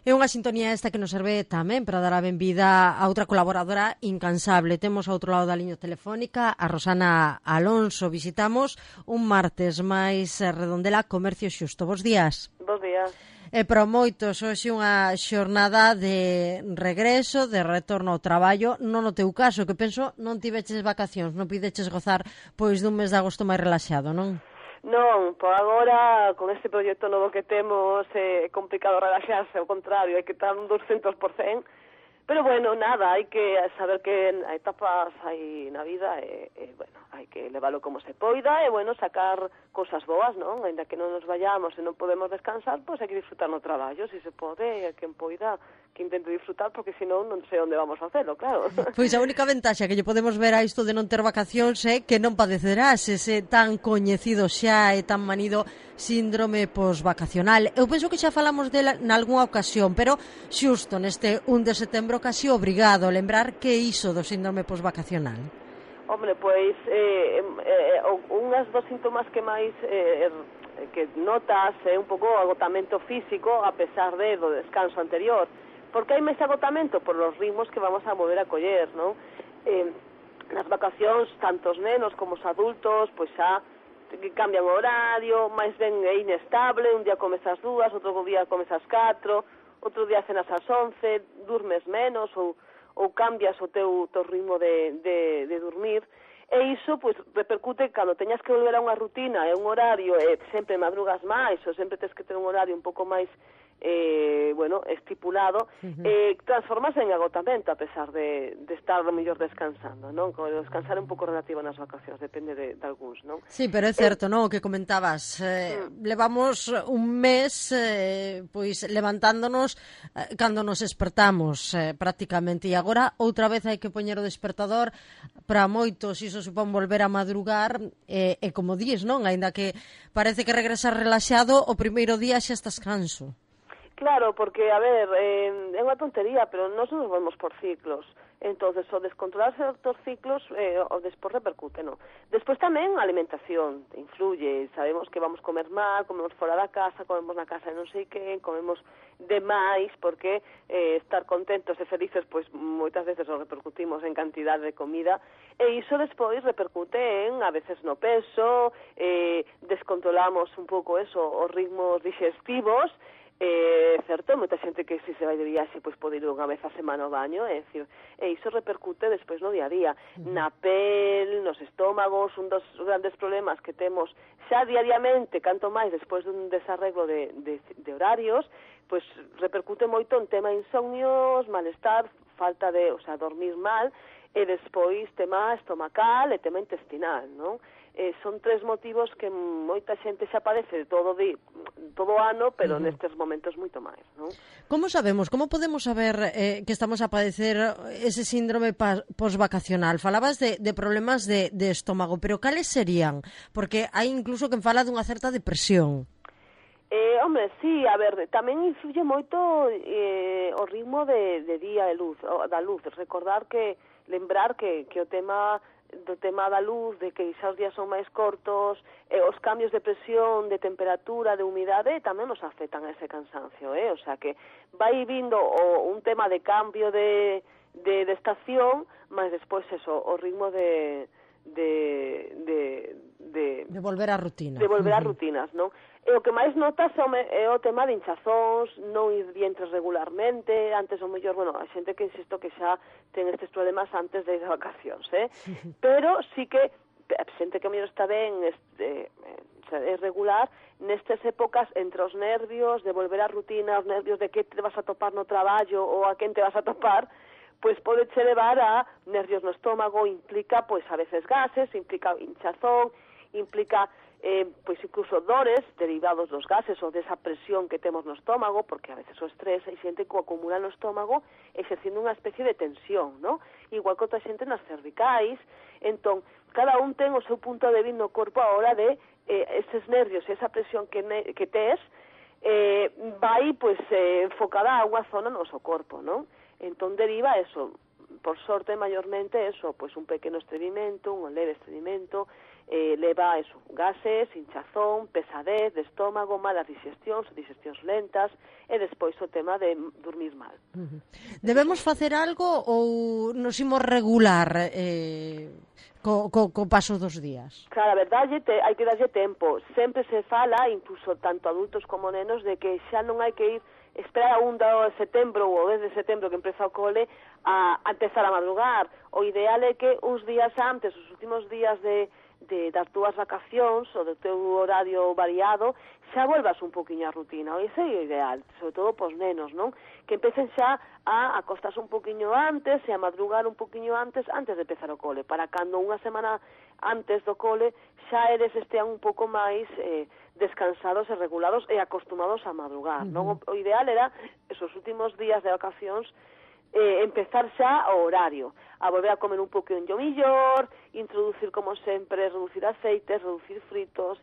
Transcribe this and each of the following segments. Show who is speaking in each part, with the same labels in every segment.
Speaker 1: É unha sintonía esta que nos serve tamén para dar a benvida a outra colaboradora incansable. Temos ao outro lado da liña telefónica a Rosana Alonso. Visitamos un martes máis Redondela Comercio Xusto. Bos días.
Speaker 2: Bos días.
Speaker 1: E para moitos, hoxe unha xornada de regreso, de retorno ao traballo, non no teu caso, que penso non tiveches vacacións, non pideches gozar pois dun mes de agosto máis relaxado, non?
Speaker 2: Non, por agora, con este proxecto novo que temos, é complicado relaxarse, ao contrario, hai que estar un 200%, pero bueno, nada, hai que saber que hai etapas hai na vida e bueno, hai que leválo como se poida e, bueno, sacar cousas boas, non? Ainda que non nos vayamos e non podemos descansar, pois hai que disfrutar no traballo, se se pode, e quen poida que intente disfrutar, porque senón non sei onde vamos a facelo, claro.
Speaker 1: Pois a única ventaxa que lle podemos ver a isto de non ter vacacións é que non padecerás ese tan coñecido xa e tan manido síndrome posvacacional. Eu penso que xa falamos dela nalgúna ocasión, pero xusto neste 1 de setembro casi obrigado a lembrar que iso do síndrome posvacacional.
Speaker 2: Hombre, pois unhas dos síntomas que máis que notas é un pouco agotamento físico a pesar do descanso anterior, porque hai máis agotamento por os ritmos que vamos a volver a coller, non? Nas vacacións, tanto os nenos como os adultos, pois xa cambian o horario, máis ben é inestable, un día comes ás 2, outro día comes ás 4, outro día cenas ás 11, durmes menos ou cambias o teu ritmo de dormir, e iso pois repercute cando teñas que volver a unha rutina e un horario, e sempre madrugas máis ou sempre tens que ter un horario un pouco máis bueno, estipulado, transformas en agotamento a pesar de estar mellor descansando, non? Descansar é un pouco relativo nas vacacións, depende de algúns, non?
Speaker 1: Sí, pero é certo, non? O que comentabas, levamos un mes pois levantándonos cando nos despertamos prácticamente, e agora outra vez hai que poñer o despertador. Para moitos iso supón volver a madrugar e como dis, non? Aínda que parece que regresar relaxado, o primeiro día xa estás canso.
Speaker 2: Claro, porque, a ver, é unha tontería, pero nós nos vamos por ciclos. Entonces, o descontrolarse dos ciclos, o despois repercute, non? Despois tamén a alimentación influye. Sabemos que vamos comer mal, comemos fora da casa, comemos na casa de non sei quen, comemos demais, porque estar contentos e felices, pois moitas veces o repercutimos en cantidad de comida, e iso despois repercute en, a veces, no peso, descontrolamos un pouco eso, os ritmos digestivos. Certo, moita xente que se vai de viaxe pois pode ir unha vez a semana ao baño, e iso repercute despois no día a día, na pel, nos estómagos. Un dos grandes problemas que temos xa diariamente, canto máis despois dun desarreglo de horarios, pois repercute moito en tema insomnios, malestar, falta de, dormir mal, e despois tema estomacal e tema intestinal, non? Son tres motivos que moita xente xa padece todo o ano, pero nestes momentos moito máis, non?
Speaker 1: Como sabemos, como podemos saber que estamos a padecer ese síndrome posvacacional? Falabas de problemas de estómago, pero cales serían? Porque hai incluso quen fala dunha certa depresión.
Speaker 2: Hombre, sí, a ver, tamén influye moito o ritmo de día de luz, da luz. Lembrar que o tema da luz, de que xa os días son máis cortos, os cambios de presión, de temperatura, de humidade, tamén nos afectan a ese cansancio, o sea que vai vindo un tema de cambio de estación, mas despois eso, o ritmo de
Speaker 1: volver á rutina.
Speaker 2: De volver ás rutinas, non? E o que máis notas é o tema de hinchazóns, non ir vientres regularmente, antes o mellor, bueno, a xente que insisto que xa ten estes problemas antes de ir a vacacións, pero sí que a xente que o mellor está ben, é regular, nestes épocas entre os nervios de volver á rutina, os nervios de que te vas a topar no traballo ou a quen te vas a topar, pois pode che levar a nervios no estómago, implica, pois a veces gases, implica hinchazón, implica pois incluso dores derivados dos gases ou desa presión que temos no estómago, porque a veces o estrés hai xente que o acumula no estómago exercindo unha especie de tensión, non? Igual que outra xente nas cervicais. Entón, cada un ten o seu punto de vista no corpo a hora de eses nervios e esa presión que tes vai pois enfocada a unha zona no noso corpo, non? Entón deriva eso, por sorte, maiormente eso, pois un pequeno estreñimento, un leve estreñimento, leva eso, gases, hinchazón, pesadez de estómago, malas digestións lentas, e despois o tema de dormir mal.
Speaker 1: Debemos facer algo ou nos imos regular co paso dos días?
Speaker 2: Claro, a verdade, hai que darlle tempo. Sempre se fala, incluso tanto adultos como nenos, de que xa non hai que ir esperar a 1 de setembro ou 10 de setembro que empeza o cole a empezar a madrugar. O ideal é que uns días antes, os últimos días das túas vacacións ou do teu horario variado, xa volvas un poquinho a rutina. Ese é o ideal, sobre todo pos nenos, non? Que empecen xa a acostarse un poquinho antes e a madrugar un poquinho antes de empezar o cole, para cando unha semana antes do cole xa eles estean un pouco máis descansados e regulados e acostumados a madrugar, non? O ideal era esos últimos días de vacacións empezar xa o horario, a volver a comer un poquinho mellor, introducir como sempre, reducir aceites, reducir fritos,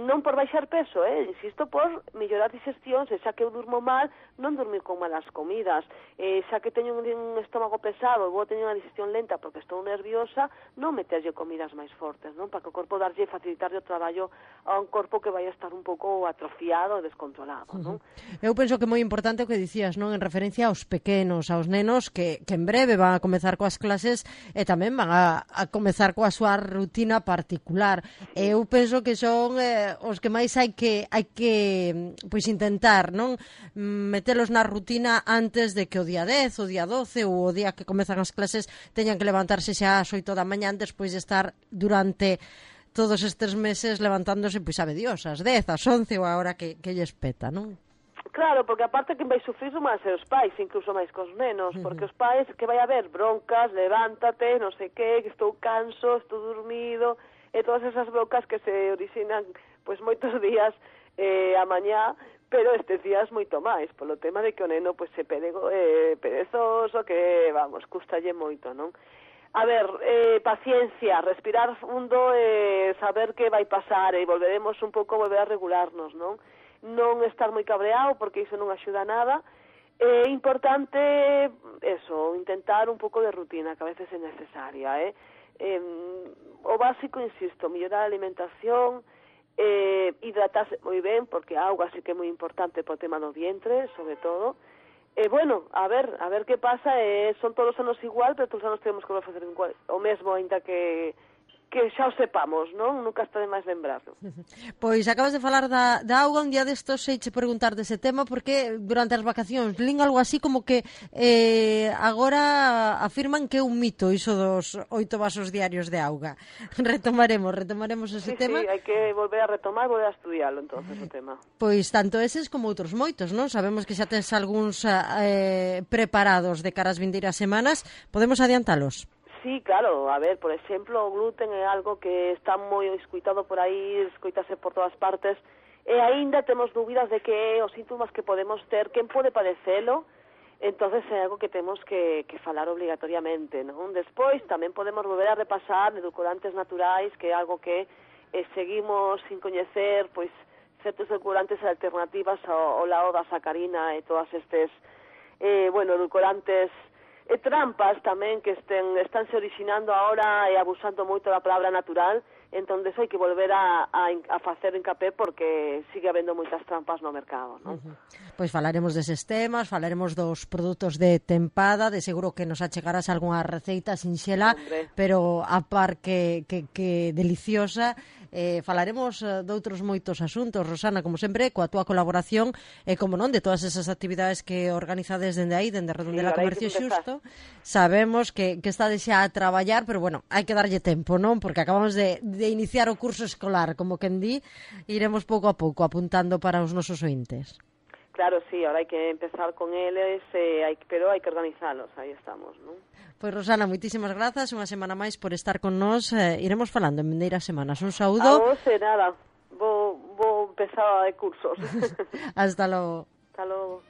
Speaker 2: non por baixar peso, insisto, por mellorar digestións, e xa que eu durmo mal, non dormir con malas comidas, xa que teño un estómago pesado e vou teño unha digestión lenta porque estou nerviosa, non meterlle comidas máis fortes, non? Para que o corpo facilitarlle o traballo a un corpo que vai a estar un pouco atrofiado e descontrolado, non?
Speaker 1: Eu penso que é moi importante o que dicías, non? En referencia aos pequenos, aos nenos que en breve van a comezar coas clases e tamén van a comezar coa súa rutina particular. Eu penso que son os que máis hai que pois intentar, non? Metelos na rutina antes de que o día 10, o día 12 ou o día que comezan as clases teñan que levantarse xa ás 8 da mañá despois de estar durante todos estes meses levantándose, pois sabe Dios, ás 10, ás 11 ou a hora que lles peta, non?
Speaker 2: Claro, porque aparte que vai sufrir son máis os pais, incluso máis cos nenos, porque os pais que vai haber broncas, levántate, non sei que estou canso, estou dormido, e todas esas broncas que se orixinan pois moitos días a mañá, pero estes días moito máis, polo tema de que o neno pois se perezoso, que, vamos, custalle moito, non? A ver, paciencia, respirar fundo e saber que vai pasar e volveremos un pouco a volver a regularnos, non? Non estar moi cabreado porque iso non axuda a nada. É importante, eso, intentar un pouco de rutina, que a veces é necesaria, o básico, insisto, mellorar a alimentación, hidratarse moi ben, porque a auga sí que é moi importante por tema do vientre, sobre todo. Bueno, a ver que pasa, son todos os anos igual, pero todos os anos temos que facer o mesmo, ainda que xa o sepamos, non? Nunca está de máis lembrarlo.
Speaker 1: Pois acabas de falar da auga, un día destos seiche preguntar dese tema, porque durante as vacacións lín algo así como que agora afirman que é un mito iso dos 8 vasos diarios de auga. Retomaremos ese tema.
Speaker 2: Sí, hai que volver a retomar, volver a estudiarlo, entonces, o tema.
Speaker 1: Pois tanto eses como outros moitos, non? Sabemos que xa tens algúns preparados de cara ás vindeiras semanas, podemos adiantalos?
Speaker 2: Sí, claro, a ver, por exemplo, o gluten é algo que está moi escoitado por aí, escoitase por todas partes, e aínda temos dúbidas de que os síntomas que podemos ter, quen pode padecelo, entonces é algo que temos que falar obligatoriamente, non? Despois tamén podemos volver a repasar edulcorantes naturais, que é algo que seguimos sin coñecer, pois certos edulcorantes alternativas ao lado da sacarina e todas estes, edulcorantes trampas tamén que están se orixinando ahora e abusando moito da palabra natural, entón hai que volver a facer encapé porque sigue habendo moitas trampas no mercado, non?
Speaker 1: Pois falaremos deses temas, falaremos dos produtos de tempada, de seguro que nos achegarás algunha receita sinxela, pero a par que deliciosa. Falaremos doutros moitos asuntos, Rosana, como sempre, coa túa colaboración e, como non, de todas esas actividades que organizades dende aí, dende Redondela Comercio Xusto. Sabemos que estades xa a traballar, pero, bueno, hai que darlle tempo, non? Porque acabamos de iniciar o curso escolar, como quen di, iremos pouco a pouco apuntando para os nosos ointes.
Speaker 2: Claro, sí, ahora hai que empezar con eles, pero hai que organizalos, aí estamos, non?
Speaker 1: Pois, Rosana, moitísimas grazas, unha semana máis por estar con nós, iremos falando en vindeiras semanas. Un saúdo.
Speaker 2: A vos, nada, vou empezar a cursos.
Speaker 1: Hasta logo.
Speaker 2: Hasta logo.